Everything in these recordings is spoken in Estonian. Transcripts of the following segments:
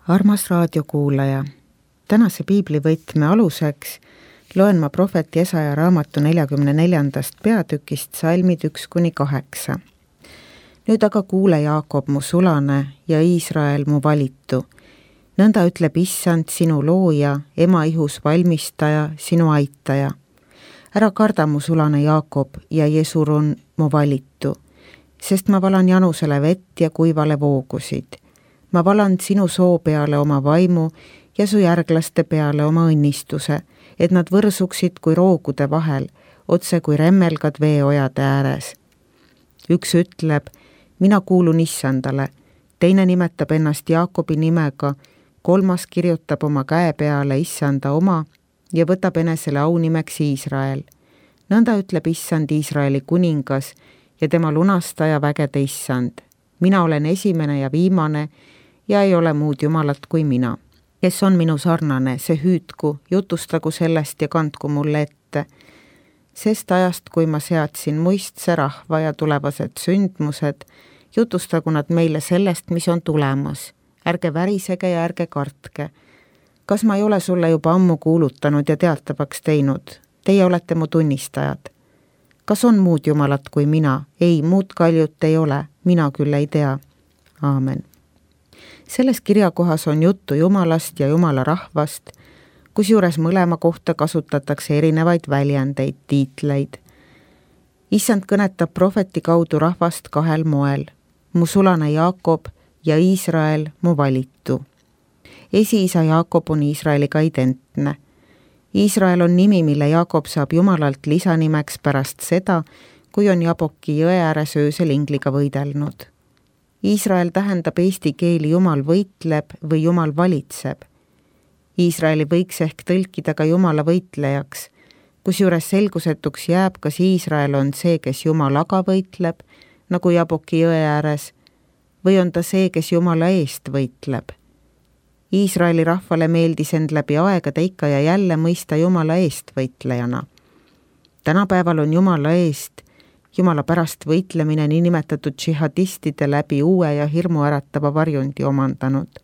Armas raadiokuulaja, tänase piiblivõtme aluseks loen ma prohvet Jesaja raamatu 44. peatükist salmid 1-8. Nüüd aga kuule, Jaakob, mu sulane, ja Iisrael, mu valitu. Nõnda ütleb Issand, sinu looja, ema ihus valmistaja, sinu aitaja. Ära karda, mu sulane Jaakob, ja Jesurun, mu valitu, sest ma valan janusele vett ja kuivale voogusid. Ma valan sinu soo peale oma vaimu ja su järglaste peale oma õnnistuse, et nad võrsuksid kui roogude vahel, otse kui remmelgad veeojade ääres. Üks ütleb, mina kuulun Issandale, teine nimetab ennast Jaakobi nimega, kolmas kirjutab oma käe peale Issanda oma ja võtab enesele aunimeks Iisrael. Nõnda ütleb Issand, Iisraeli kuningas ja tema lunastaja vägede Issand. Mina olen esimene ja viimane ja ei ole muud jumalat kui mina. Kes on minu sarnane, see hüüdku, jutustagu sellest ja kandku mulle ette. Sest ajast, kui ma seadsin muistse rahva ja tulevased sündmused, jutustagu nad meile sellest, mis on tulemas. Ärge värisege ja ärge kartke. Kas ma ei ole sulle juba ammu kuulutanud ja teatavaks teinud? Teie olete mu tunnistajad. Kas on muud jumalat kui mina? Ei, muud kaljut ei ole, mina küll ei tea. Aamen. Selles kirjakohas on juttu Jumalast ja Jumala rahvast, kusjuures mõlema kohta kasutatakse erinevaid väljendeid, tiitleid. Issand kõnetab prohveti kaudu rahvast kahel moel. Mu sulane Jaakob ja Iisrael, mu valitu. Esiisa Jaakob on Iisraeliga identne. Iisrael on nimi, mille Jaakob saab Jumalalt lisanimeks pärast seda, kui on Jaboki jõe ääres öösel ingliga võidelnud. Iisrael tähendab eesti keeli Jumal võitleb või Jumal valitseb. Iisraeli võiks ehk tõlkida ka Jumala võitlejaks, kusjuures selgusetuks jääb, kas Iisrael on see, kes Jumalaga võitleb, nagu Jaboki jõe ääres, või on ta see, kes Jumala eest võitleb. Iisraeli rahvale meeldis end läbi aegade ikka ja jälle mõista Jumala eest võitlejana. Tänapäeval on Jumala eest, Jumala pärast võitlemine niinimetatud džihadistide läbi uue ja hirmuäratava varjundi omandanud.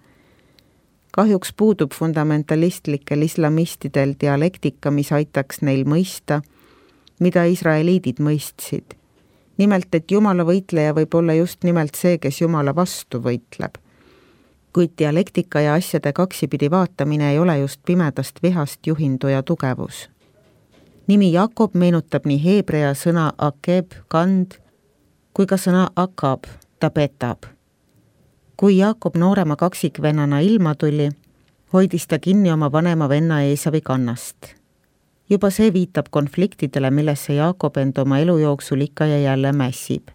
Kahjuks puudub fundamentalistlikel islamistidel dialektika, mis aitaks neil mõista, mida israeliidid mõistsid. Nimelt, et Jumala võitleja võib olla just nimelt see, kes Jumala vastu võitleb. Kuid dialektika ja asjade kaksipidi vaatamine ei ole just pimedast vihast juhinduja tugevus. Nimi Jakob meenutab nii heebrea sõna akeb, kand, kui ka sõna akab, ta petab. Kui Jakob noorema kaksikvennana ilma tuli, hoidis ta kinni oma vanema venna Eesavi kannast. Juba see viitab konfliktidele, millesse Jakob end oma elu jooksul ikka ja jälle mässib.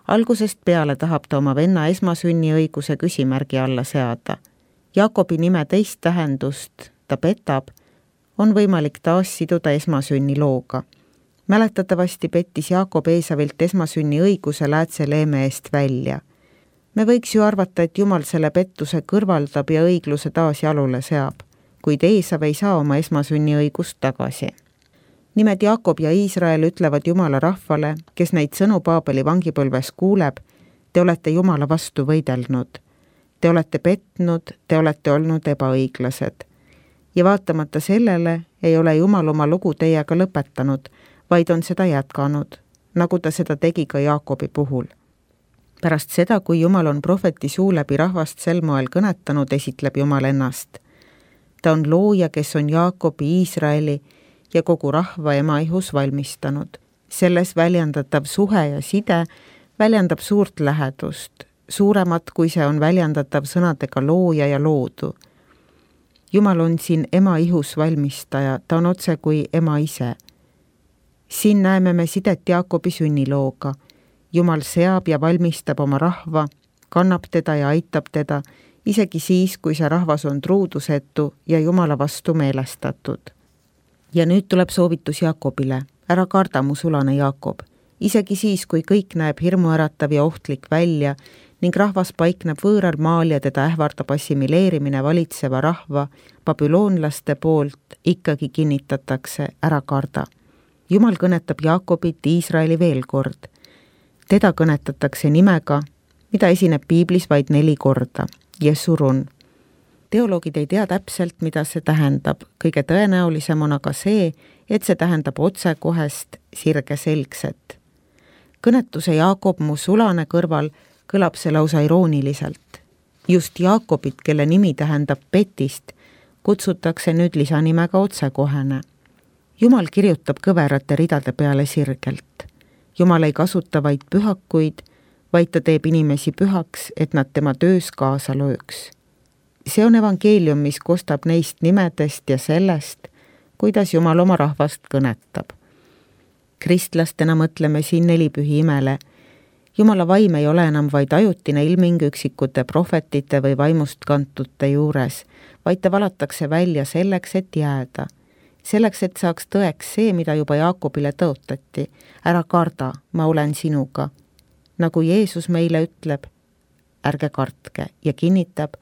Algusest peale tahab ta oma venna esmasünniõiguse küsimärgi alla seada. Jakobi nime teist tähendust, ta petab, on võimalik taas siduda esmasünni looga. Mäletatavasti pettis Jaakob Eesavilt esmasünni õiguse läätse leeme eest välja. Me võiks ju arvata, et Jumal selle pettuse kõrvaldab ja õigluse taas jalule seab, kuid Eesav ei saa oma esmasünni õigust tagasi. Nimed Jaakob ja Iisrael ütlevad Jumala rahvale, kes neid sõnu Paabeli vangipõlves kuuleb, te olete Jumala vastu võidelnud. Te olete petnud, te olete olnud ebaõiglased. Ja vaatamata sellele ei ole Jumal oma lugu teiega lõpetanud, vaid on seda jätkanud, nagu ta seda tegi ka Jaakobi puhul. Pärast seda, kui Jumal on prohveti suu läbi rahvast sel moel kõnetanud, esitleb Jumal ennast. Ta on looja, kes on Jaakobi, Iisraeli ja kogu rahva ema ihus valmistanud. Selles väljendatav suhe ja side väljendab suurt lähedust, suuremat kui see on väljendatav sõnadega looja ja loodu. Jumal on siin ema ihus valmistaja, ta on otse kui ema ise. Siin näeme me sidet Jaakobi sünnilooga. Jumal seab ja valmistab oma rahva, kannab teda ja aitab teda, isegi siis, kui see rahvas on truudusetu ja Jumala vastu meelestatud. Ja nüüd tuleb soovitus Jaakobile. Ära karda, mu sulane Jaakob. Isegi siis, kui kõik näeb hirmuäratav ja ohtlik välja, ning rahvas paikneb võõral maal ja teda ähvardab assimileerimine valitseva rahva, babüloonlaste poolt ikkagi kinnitatakse, ära karda. Jumal kõnetab Jaakobit, Iisraeli veel kord. Teda kõnetatakse nimega, mida esineb piiblis vaid 4 korda, Jesurun. teoloogid ei tea täpselt, mida see tähendab, kõige tõenäolisem on aga see, et see tähendab otsekohest sirgeselgset. Kõnetuse Jaakob mu sulane kõrval kõlab see lausa irooniliselt. Just Jaakobit, kelle nimi tähendab petist, kutsutakse nüüd lisanimega otsekohene. Jumal kirjutab kõverate ridade peale sirgelt. Jumal ei kasuta vaid pühakuid, vaid ta teeb inimesi pühaks, et nad tema töös kaasa lööks. See on evangeelium, mis kostab neist nimedest ja sellest, kuidas Jumal oma rahvast kõnetab. Kristlastena mõtleme siin nelipühi imele. Jumala vaim ei ole enam vaid ajutine ilming üksikute prohvetite või vaimust kantute juures, vaid ta valatakse välja selleks, et jääda. Selleks, et saaks tõeks see, mida juba Jaakobile tõotati. Ära karda, ma olen sinuga. Nagu Jeesus meile ütleb, ärge kartke ja kinnitab,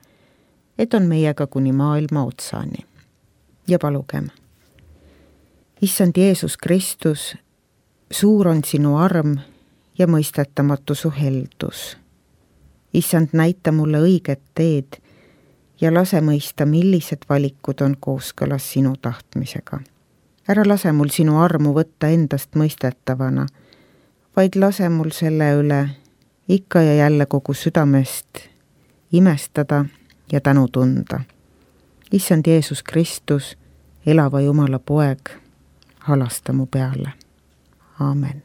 et on meiega kuni maailma otsani. Ja palugem. Issand Jeesus Kristus, suur on sinu arm ja mõistetamatu su heldus. Issand, näita mulle õiget teed ja lase mõista, millised valikud on kooskõlas sinu tahtmisega. Ära lase mul sinu armu võtta endast mõistetavana, vaid lase mul selle üle ikka ja jälle kogu südamest imestada ja tänu tunda. Issand Jeesus Kristus, elava Jumala poeg, halasta mu peale. Aamen.